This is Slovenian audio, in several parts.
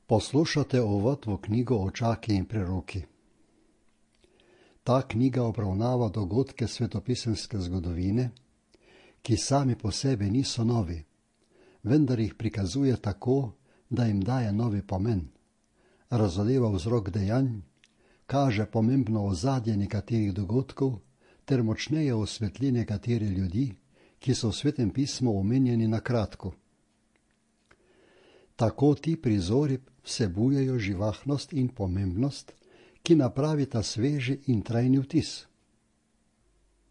Poslušate uvod v knjigo Očaki in preroki. Ta knjiga obravnava dogodke svetopisemske zgodovine, ki sami po sebi niso novi, vendar jih prikazuje tako, da jim daje novi pomen, razodeva vzrok dejanj, kaže pomembno ozadje nekaterih dogodkov ter močneje osvetli nekatere ljudi, ki so v Svetem pismu omenjeni na kratko. Tako ti prizori vsebujejo živahnost in pomembnost, ki napravita sveži in trajni vtis.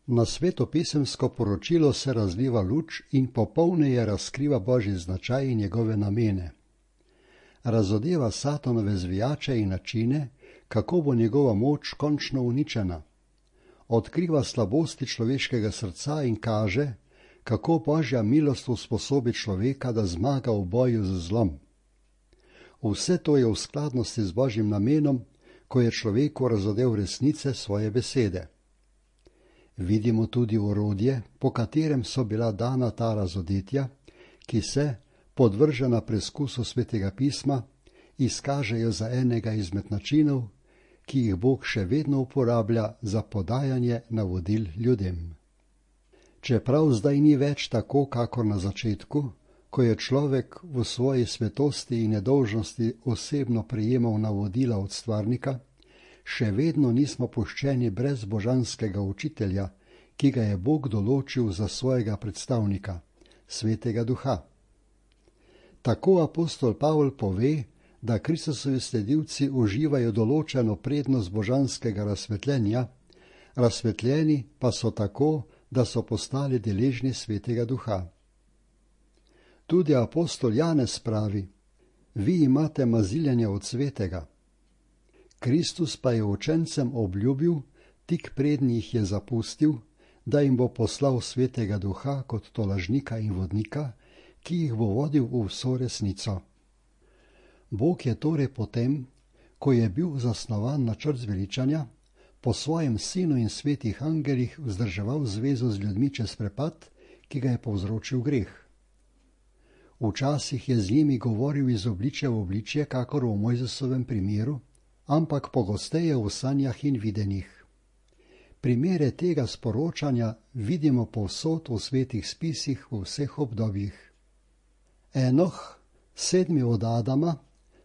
Na svetopisemsko poročilo se razliva luč in popolneje razkriva Božji značaj in njegove namene. Razodeva Satanove zvijače in načine, kako bo njegova moč končno uničena. Odkriva slabosti človeškega srca in kaže, kako Božja milost usposobi človeka, da zmaga v boju z zlom. Vse to je v skladnosti z Božjim namenom, ko je človeku razodel resnice svoje besede. Vidimo tudi orodje, po katerem so bila dana ta razodetja, ki se, podvržena preskusu Svetega pisma, izkažejo za enega izmed načinov, ki jih Bog še vedno uporablja za podajanje navodil ljudem. Čeprav zdaj ni več tako, kakor na začetku, ko je človek v svoji svetosti in nedolžnosti osebno prejemal navodila od stvarnika, še vedno nismo puščeni brez božanskega učitelja, ki ga je Bog določil za svojega predstavnika, Svetega Duha. Tako apostol Pavol pove, da Kristusovi sledilci uživajo določeno prednost božanskega razsvetljenja, razsvetljeni pa so tako, da so postali deležni Svetega Duha. Tudi apostol Janez pravi: vi imate maziljenje od Svetega. Kristus pa je učencem obljubil, tik preden jih je zapustil, da jim bo poslal Svetega Duha kot tolažnika in vodnika, ki jih bo vodil v vso resnico. Bog je torej potem, ko je bil zasnovan načrt zveličanja, po svojem sinu in svetih angelih vzdrževal zvezo z ljudmi čez prepad, ki ga je povzročil greh. Včasih je z njimi govoril iz obličja v obličje, kakor v Mojzesovem primeru, ampak pogosteje v sanjah in videnjih. Primere tega sporočanja vidimo povsod v svetih spisih v vseh obdobjih. Enoh, 7. od Adama,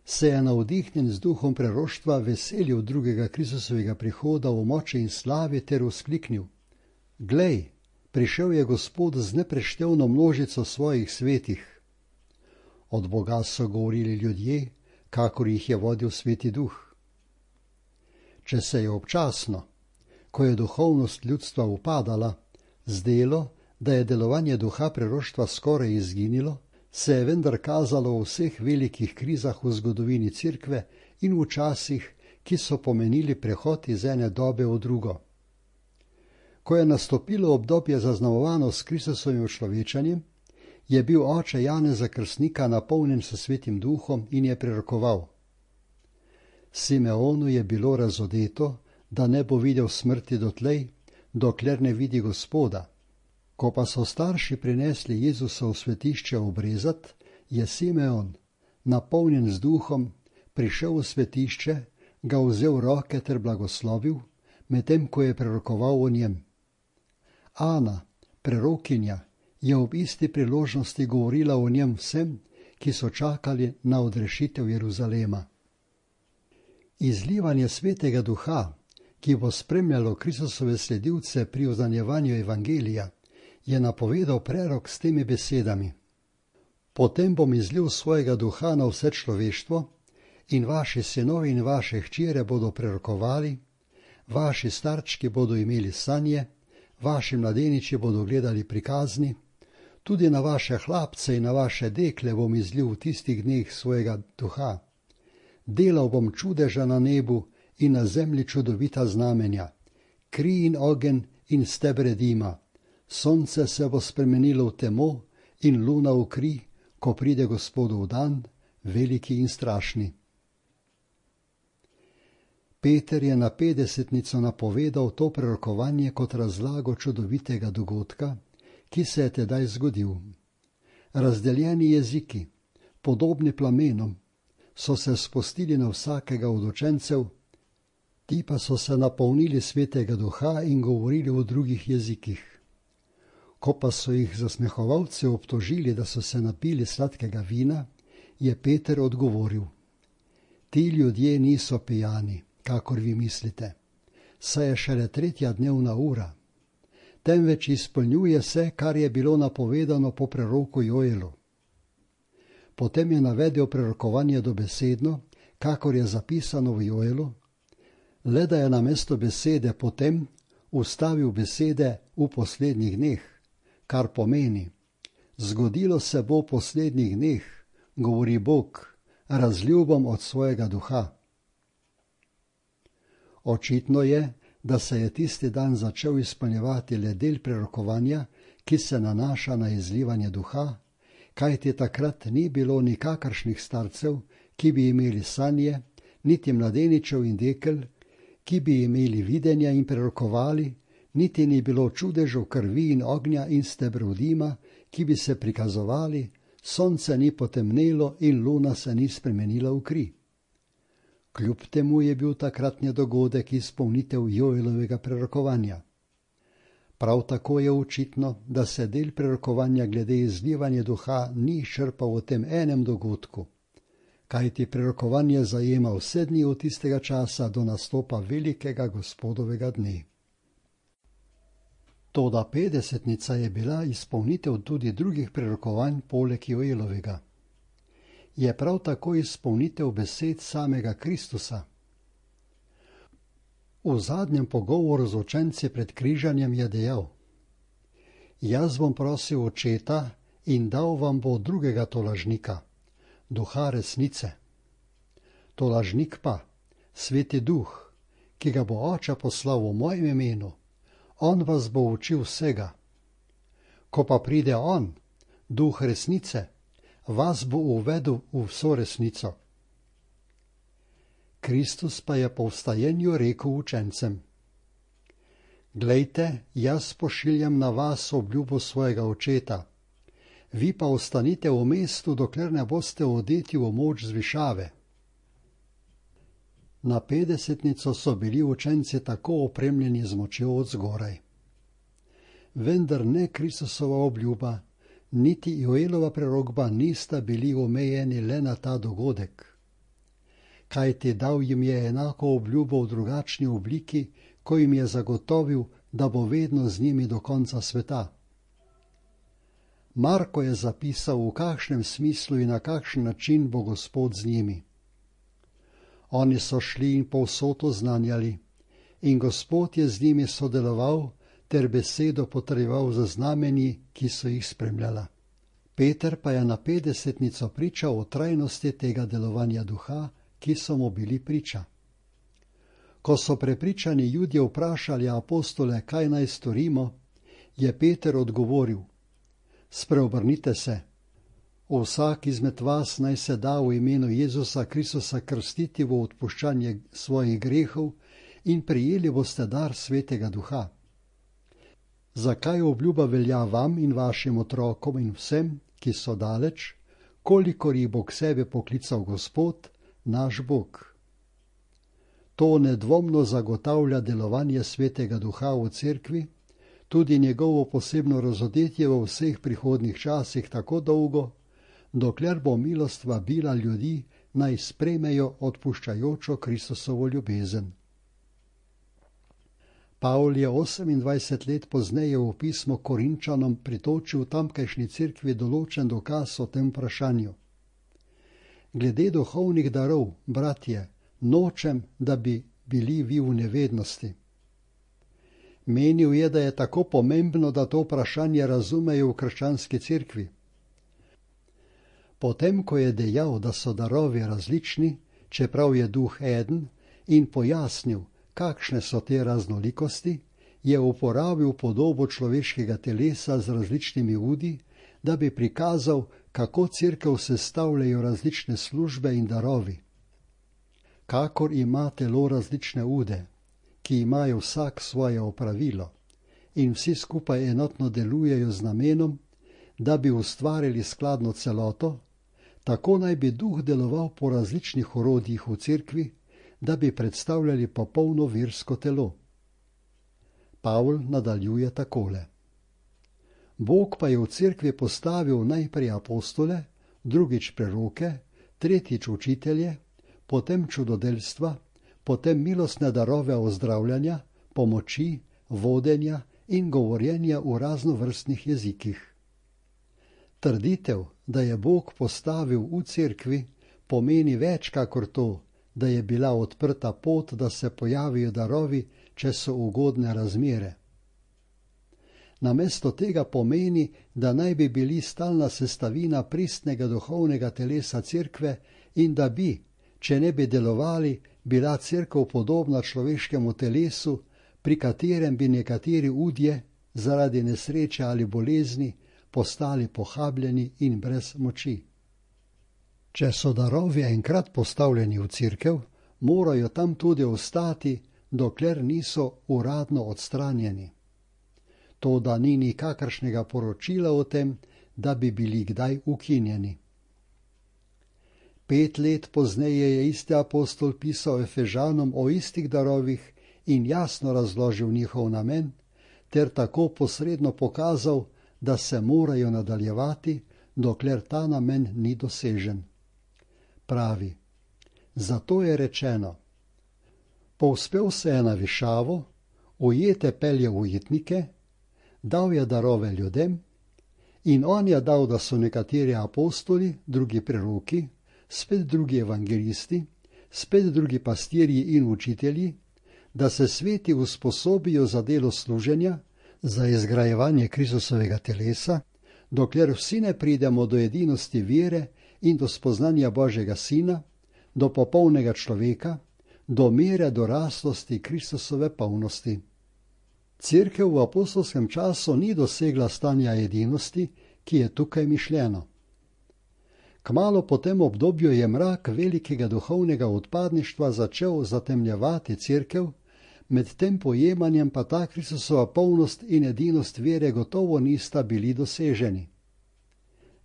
se je navdihnjen z duhom preroštva veselil drugega Kristusovega prihoda v moči in slavi ter vzkliknil: glej, prišel je Gospod z nepreštevno množico svojih svetih. Od Boga so govorili ljudje, kakor jih je vodil Sveti Duh. Če se je občasno, ko je duhovnost ljudstva upadala, zdelo, da je delovanje duha preroštva skoraj izginilo, se je vendar kazalo v vseh velikih krizah v zgodovini Cerkve in v časih, ki so pomenili prehod iz ene dobe v drugo. Ko je nastopilo obdobje zaznamovano s Kristusovim človečanjem, je bil oče Janeza Krstnika napolnjen s Svetim Duhom in je prerokoval: Simeonu je bilo razodeto, da ne bo videl smrti dotlej, dokler ne vidi Gospoda. Ko pa so starši prinesli Jezusa v svetišče obrezat, je Simeon, napolnjen z duhom, prišel v svetišče, ga vzel v roke ter blagoslovil, medtem ko je prerokoval o njem. Ana, prerokinja, je ob isti priložnosti govorila o njem vsem, ki so čakali na odrešitev Jeruzalema. Izlivanje Svetega Duha, ki bo spremljalo Kristusove sledilce pri oznanjevanju evangelija, je napovedal prerok s temi besedami: potem bom izlil svojega duha na vse človeštvo in vaši sinovi in vaše hčere bodo prerokovali, vaši starčki bodo imeli sanje, vaši mladeniči bodo gledali prikazni, tudi na vaše hlapce in na vaše dekle bom izlil v tistih dneh svojega duha. Delal bom čudeža na nebu in na zemlji čudovita znamenja, kri in ogenj in stebre dima. Sonce se bo spremenilo v temo in luna v kri, ko pride Gospodov dan, veliki in strašni. Peter je na 50-nico napovedal to prerokovanje kot razlago čudovitega dogodka, ki se je tedaj zgodil. Razdeljeni jeziki, podobni plamenom, so se spustili na vsakega od učencev, ti pa so se napolnili Svetega Duha in govorili v drugih jezikih. Ko pa so jih zasmehovalci obtožili, da so se napili sladkega vina, je Peter odgovoril: ti ljudje niso pijani, kakor vi mislite, saj je šele 3. dnevna ura, temveč izpolnjuje se, kar je bilo napovedano po preroku Joelu. Potem je navedel prerokovanje dobesedno, kakor je zapisano v Joelu, le da je namesto besede potem ustavil besede v poslednjih dneh, kar pomeni: zgodilo se bo v poslednjih dneh, govori Bog, razlil bom od svojega duha. Očitno je, da se je tisti dan začel izpolnjevati le del prerokovanja, ki se nanaša na izlivanje duha, kajti takrat ni bilo nikakršnih starcev, ki bi imeli sanje, niti mladeničev in dekel, ki bi imeli videnja in prerokovali, niti ni bilo čudežev krvi in ognja in stebrov dima, ki bi se prikazovali, sonce ni potemnelo in luna se ni spremenila v kri. Kljub temu je bil takratni dogodek izpolnitev Joelovega prerokovanja. Prav tako je očitno, da se del prerokovanja glede izlivanja duha ni črpal v tem enem dogodku, kajti prerokovanje zajema vse dni od tistega časa do nastopa velikega Gospodovega dne. Toda 50. je bila izpolnitev tudi drugih prerokovanj poleg Joelovega. Je prav tako izpolnitev besed samega Kristusa. V zadnjem pogovoru z učenci pred križanjem je dejal: jaz bom prosil Očeta in dal vam bo drugega tolažnika, duha resnice. Tolažnik pa, Sveti Duh, ki ga bo Oče poslal v mojem imenu, on vas bo učil vsega. Ko pa pride on, Duh resnice, vas bo uvedel v vso resnico. Kristus pa je po vstajenju rekel učencem: glejte, jaz pošiljam na vas obljubo svojega Očeta, vi pa ostanite v mestu, dokler ne boste odeti v moč z višave. Na 50. so bili učenci tako opremljeni z močjo od zgoraj. Vendar ne Kristusova obljuba, niti Joelova prerokba nista bili omejeni le na ta dogodek, kajti dal jim je enako obljubo v drugačni obliki, ko jim je zagotovil, da bo vedno z njimi do konca sveta. Marko je zapisal, v kakšnem smislu in na kakšen način bo Gospod z njimi. Oni so šli in povsod oznanjali, in Gospod je z njimi sodeloval ter besedo potrjeval za znamenji, ki so jih spremljala. Peter pa je na 50. pričal o trajnosti tega delovanja duha, ki so mu bili priča. Ko so prepričani Judje vprašali apostole, kaj naj storimo, je Peter odgovoril: spreobrnite se, vsak izmed vas naj se da v imenu Jezusa Kristusa krstiti v odpuščanje svojih grehov in prijeli boste dar Svetega Duha. Zakaj obljuba velja vam in vašim otrokom in vsem, ki so daleč, kolikor jih bo k sebi poklical Gospod, naš Bog. To nedvomno zagotavlja delovanje Svetega Duha v cerkvi, tudi njegovo posebno razodetje v vseh prihodnjih časih tako dolgo, dokler bo milost vabila ljudi, naj sprejmejo odpuščajočo Kristusovo ljubezen. Pavel je 28 let pozneje v pismo Korinčanom pritočil tamkajšnji cerkvi določen dokaz o tem vprašanju. Glede duhovnih darov, bratje, nočem, da bi bili vi v nevednosti. Menil je, da je tako pomembno, da to vprašanje razumejo v krščanski cerkvi. Potem, ko je dejal, da so darovi različni, čeprav je duh eden, in pojasnil, kakšne so te raznolikosti, je uporabil podobo človeškega telesa z različnimi udi, da bi prikazal, kako cerkev sestavljajo različne službe in darovi. Kakor ima telo različne ude, ki imajo vsak svoje opravilo in vsi skupaj enotno delujejo z namenom, da bi ustvarili skladno celoto, Tako naj bi duh deloval po različnih orodjih v cerkvi, da bi predstavljali popolno versko telo. Pavl nadaljuje takole. Bog pa je v cerkvi postavil najprej apostole, drugič preroke, tretjič učitelje, potem čudodelstva, potem milostne darove ozdravljanja, pomoči, vodenja in govorjenja v raznovrstnih jezikih. Trditev, da je Bog postavil v cerkvi, pomeni več kakor to, da je bila odprta pot, da se pojavijo darovi, če so ugodne razmere. Namesto tega pomeni, da naj bi bili stalna sestavina pristnega duhovnega telesa cerkve in da bi, če ne bi delovali, bila cerkev podobna človeškemu telesu, pri katerem bi nekateri udje, zaradi nesreče ali bolezni, postali pohabljeni in brez moči. Če so darovi enkrat postavljeni v cerkev, morajo tam tudi ostati, dokler niso uradno odstranjeni. Toda ni nikakršnega poročila o tem, da bi bili kdaj ukinjeni. 5 let pozneje je isti apostol pisal Efežanom o istih darovih in jasno razložil njihov namen, ter tako posredno pokazal, da se morajo nadaljevati, dokler ta namen ni dosežen. Pravi, zato je rečeno, povzpel se je na višavo, ujete pelje ujetnike, dal je darove ljudem in on je dal, da so nekateri apostoli, drugi preroki, spet drugi evangelisti, spet drugi pastirji in učitelji, da se sveti usposobijo za delo služenja, za izgrajevanje Kristusovega telesa, dokler vsi ne pridemo do edinosti vere in do spoznanja Božjega Sina, do popolnega človeka, do mere doraslosti Kristusove polnosti. Cerkev v apostolskem času ni dosegla stanja edinosti, ki je tukaj mišljeno. Kmalu po tem obdobju je mrak velikega duhovnega odpadništva začel zatemnjevati cerkev, med tem pojemanjem pa ta Kristusova polnost in edinost vere gotovo nista bili doseženi.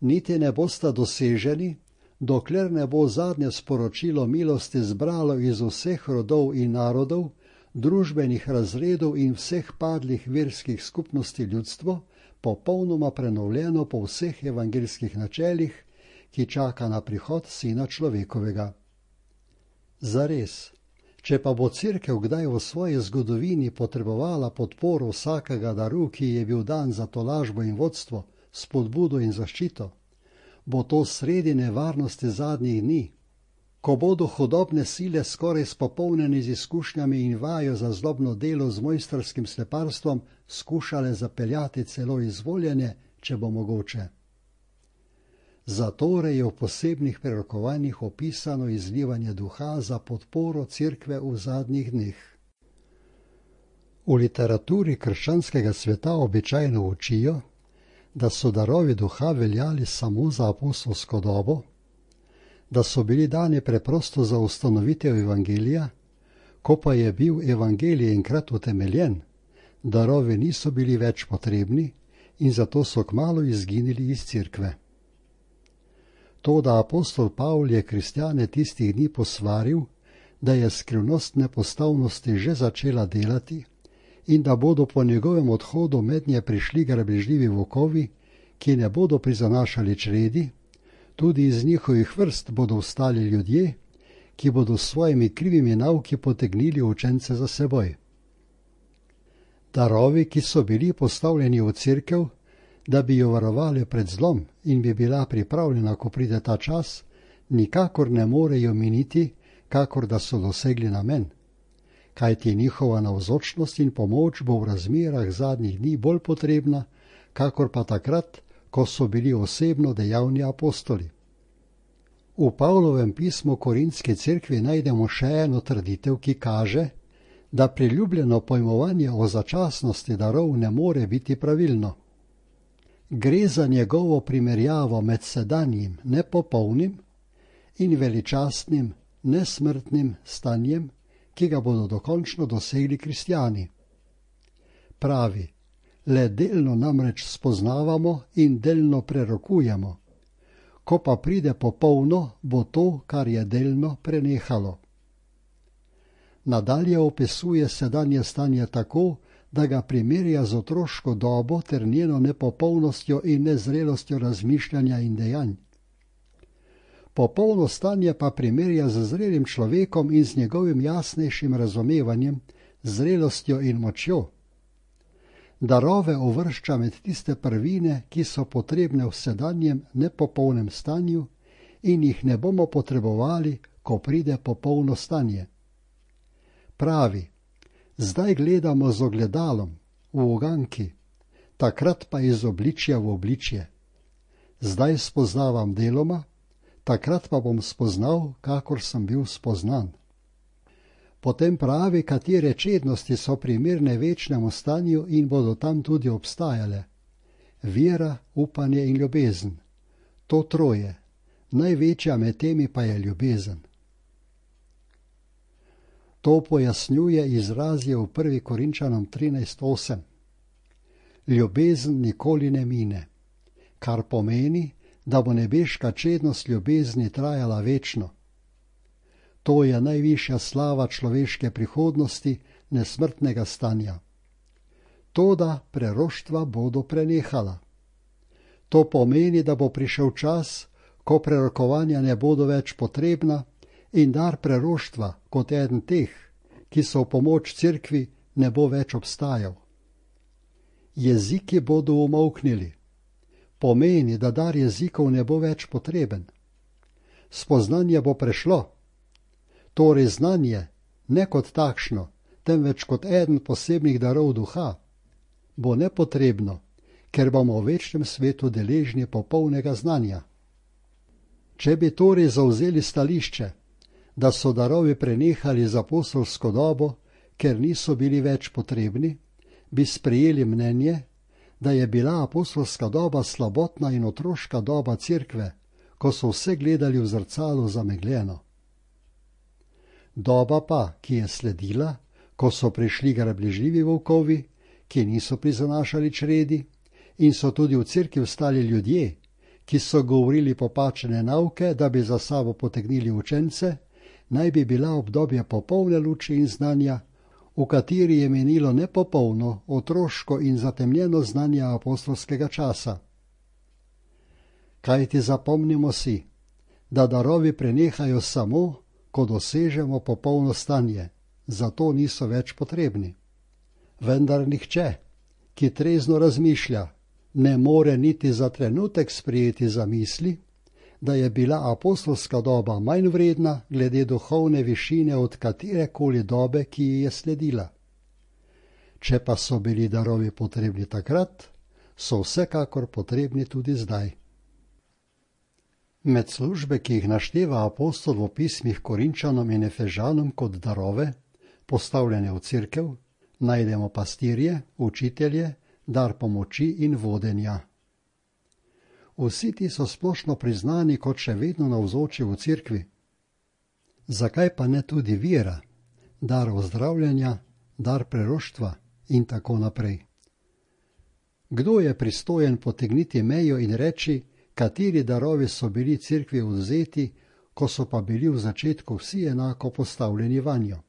Niti ne bosta doseženi, dokler ne bo zadnje sporočilo milosti zbralo iz vseh rodov in narodov, družbenih razredov in vseh padlih verskih skupnosti ljudstvo, popolnoma prenovljeno po vseh evangeljskih načelih, ki čaka na prihod Sina človekovega. Zares, če pa bo cerkev kdaj v svoji zgodovini potrebovala podporo vsakega daru, ki je bil dan za tolažbo in vodstvo, spodbudo in zaščito, bo to sredi nevarnosti zadnjih dni, ko bodo hudobne sile skoraj spopolnjene z izkušnjami in vajo za zlobno delo z mojstrskim sleparstvom skušale zapeljati celo izvoljene, če bo mogoče. Zatorej je v posebnih prerokovanjih opisano izlivanje duha za podporo cerkve v zadnjih dneh. V literaturi krščanskega sveta običajno učijo, da so darovi duha veljali samo za apostolsko dobo, da so bili dani preprosto za ustanovitev evangelija, ko pa je bil evangelij enkrat utemeljen, darovi niso bili več potrebni in zato so kmalu izginili iz cerkve. Toda apostol Pavl je kristjane tistih dni posvaril, da je skrivnost nepostavnosti že začela delati in da bodo po njegovem odhodu mednje prišli grabežljivi volkovi, ki ne bodo prizanašali čredi, tudi iz njihovih vrst bodo vstali ljudje, ki bodo s svojimi krivimi nauki potegnili učence za seboj. Darovi, ki so bili postavljeni v cerkev, da bi jo varovali pred zlom in bi bila pripravljena, ko pride ta čas, nikakor ne morejo miniti, kakor da so dosegli namen. Kajti njihova navzočnost in pomoč bo v razmerah zadnjih dni bolj potrebna, kakor pa takrat, ko so bili osebno dejavni apostoli. V Pavlovem pismu Korintski cerkvi najdemo še eno trditev, ki kaže, da priljubljeno pojmovanje o začasnosti darov ne more biti pravilno. Gre za njegovo primerjavo med sedanjim nepopolnim in veličastnim nesmrtnim stanjem, ki ga bodo dokončno dosegli kristjani. Pravi, le delno namreč spoznavamo in delno prerokujemo. ko pa pride popolno, bo to, kar je delno, prenehalo. Nadalje opisuje sedanje stanje tako, da ga primerja z otroško dobo ter njeno nepopolnostjo in nezrelostjo razmišljanja in dejanj. Popolno stanje pa primerja z zrelim človekom in z njegovim jasnejšim razumevanjem, zrelostjo in močjo. Darove uvršča med tiste prvine, ki so potrebne v sedanjem nepopolnem stanju in jih ne bomo potrebovali, ko pride popolno stanje. Pravi, zdaj gledamo z ogledalom, v uganki, takrat pa iz obličja v obličje. Zdaj spoznavam deloma, takrat pa bom spoznal, kakor sem bil spoznan. Potem pravi, katere čednosti so primerne večnemu stanju in bodo tam tudi obstajale. Vera, upanje in ljubezen. To troje. Največja med temi pa je ljubezen. To pojasnjuje izrazje v 1. Korinčanom 13:8. Ljubezen nikoli ne mine, kar pomeni, da bo nebeška čednost ljubezni trajala večno. To je najvišja slava človeške prihodnosti, nesmrtnega stanja. Toda preroštva bodo prenehala. To pomeni, da bo prišel čas, ko prerokovanja ne bodo več potrebna in dar preroštva kot eden teh, ki so v pomoč cerkvi, ne bo več obstajal. Jeziki bodo umolknili. Pomeni, da dar jezikov ne bo več potreben. Spoznanje bo prešlo. Torej znanje, ne kot takšno, temveč kot eden posebnih darov duha, bo nepotrebno, ker bomo v večnem svetu deležni popolnega znanja. Če bi torej zavzeli stališče, da so darovi prenehali z apostolsko dobo, ker niso bili več potrebni, bi sprejeli mnenje, da je bila apostolska doba slabotna in otroška doba cerkve, ko so vse gledali v zrcalo zamegljeno. Doba pa, ki je sledila, ko so prišli grabežljivi volkovi, ki niso prizanašali čredi, in so tudi v cerkvi vstali ljudje, ki so govorili popačene nauke, da bi za sabo potegnili učence, naj bi bila obdobje popolne luči in znanja, v kateri je menilo nepopolno, otroško in zatemnjeno znanje apostolskega časa. Kajti zapomnimo si, da darovi prenehajo samo, ko dosežemo popolno stanje, zato niso več potrebni. Vendar nihče, ki trezno razmišlja, ne more niti za trenutek sprejeti zamisli, da je bila apostolska doba manj vredna glede duhovne višine od katerekoli dobe, ki ji je sledila. Če pa so bili darovi potrebni takrat, so vsekakor potrebni tudi zdaj. Med službe, ki jih našteva apostol v pismih Korinčanom in Efežanom kot darove, postavljene v cerkev, najdemo pastirje, učitelje, dar pomoči in vodenja. Vsi ti so splošno priznani kot še vedno navzoči v cerkvi. Zakaj pa ne tudi vera, dar ozdravljanja, dar preroštva in tako naprej? Kdo je pristojen potegniti mejo in reči, kateri darovi so bili cerkvi odvzeti, ko so pa bili v začetku vsi enako postavljeni vanjo?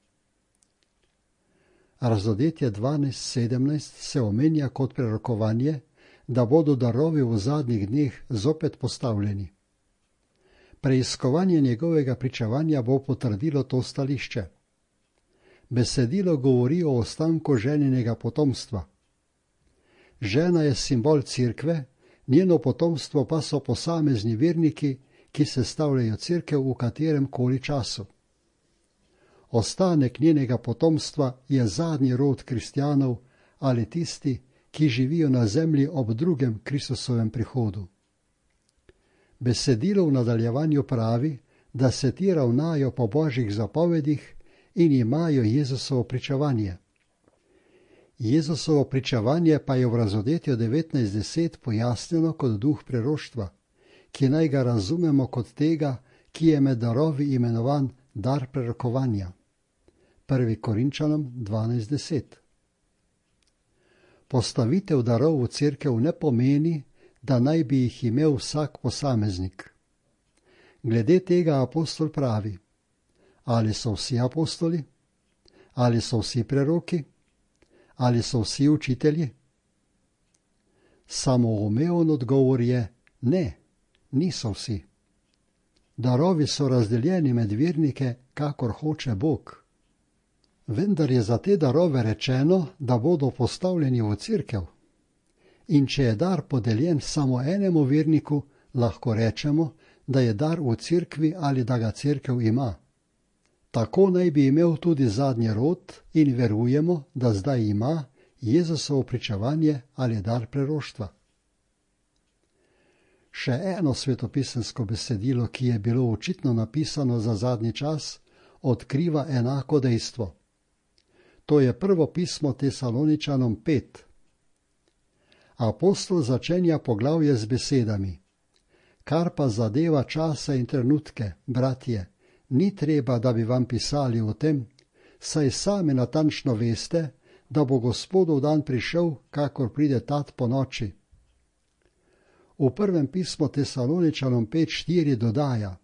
Razodetje 12:17 se omenja kot prerokovanje, da bodo darovi v zadnjih dneh zopet postavljeni. Preiskovanje njegovega pričevanja bo potrdilo to stališče. Besedilo govori o ostanku ženinega potomstva. Žena je simbol cerkve, njeno potomstvo pa so posamezni verniki, ki sestavljajo cerkev v katerem koli času. Ostanek njenega potomstva je zadnji rod kristjanov ali tisti, ki živijo na zemlji ob drugem Kristusovem prihodu. Besedilo v nadaljevanju pravi, da se ti ravnajo po božjih zapovedih in imajo Jezusovo pričevanje. Jezusovo pričevanje pa je v Razodetju 19:10 pojasnjeno kot duh preroštva, ki naj ga razumemo kot tega, ki je med darovi imenovan dar prerokovanja. 1. Korinčanom 12:10. Postavitev darov v cerkev ne pomeni, da naj bi jih imel vsak posameznik. Glede tega apostol pravi: ali so vsi apostoli? Ali so vsi preroki? Ali so vsi učitelji? Samoumeven odgovor je: ne, niso vsi. Darovi so razdeljeni med vernike, kakor hoče Bog. Vendar je za te darove rečeno, da bodo postavljeni v cerkev. In če je dar podeljen samo enemu verniku, lahko rečemo, da je dar v cerkvi ali da ga cerkev ima. Tako naj bi imel tudi zadnji rod in verujemo, da zdaj ima Jezusovo pričevanje ali dar preroštva. Še eno svetopisemsko besedilo, ki je bilo očitno napisano za zadnji čas, odkriva enako dejstvo. To je prvo pismo Tesaloničanom 5. Apostol začenja poglavje z besedami: kar pa zadeva čase in trenutke, bratje, ni treba, da bi vam pisali o tem, saj sami natančno veste, da bo Gospodov dan prišel, kakor pride tat po noči. V prvem pismu Tesaloničanom 5:4 dodaja: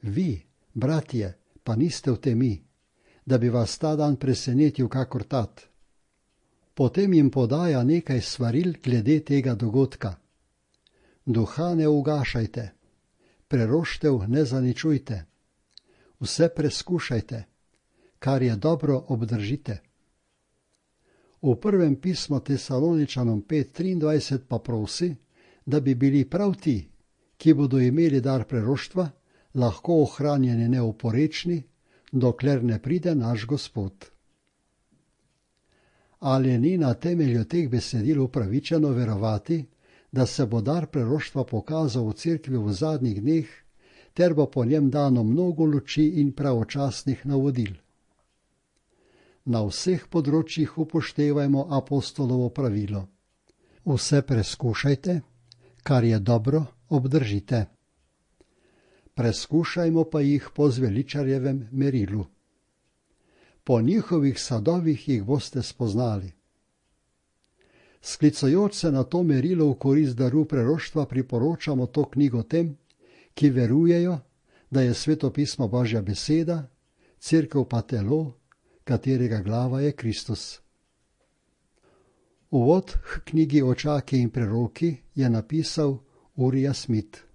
vi, bratje, pa niste v temi, da bi vas ta dan presenetil kakor tat. Potem jim podaja nekaj svaril glede tega dogodka. Duha ne ugašajte, preroštev ne zaničujte, vse preskušajte, kar je dobro obdržite. V prvem pismu Tesaloničanom 5:23 pa prosi, da bi bili prav ti, ki bodo imeli dar preroštva, lahko ohranjeni neoporečni, dokler ne pride naš Gospod. Ali ni na temelju teh besedil upravičeno verovati, da se bo dar preroštva pokazal v cerkvi v zadnjih dneh, ter bo po njem dano mnogo luči in pravočasnih navodil? Na vseh področjih upoštevajmo apostolovo pravilo: vse preskušajte, kar je dobro, obdržite. Preskušajmo pa jih po zveličarjevem merilu. Po njihovih sadovih jih boste spoznali. Sklicujoč se na to merilo v korist daru preroštva priporočamo to knjigo tem, ki verujejo, da je Sveto pismo Božja beseda, cerkev pa telo, katerega glava je Kristus. Uvod k knjigi Očaki in preroki je napisal Uriah Smith.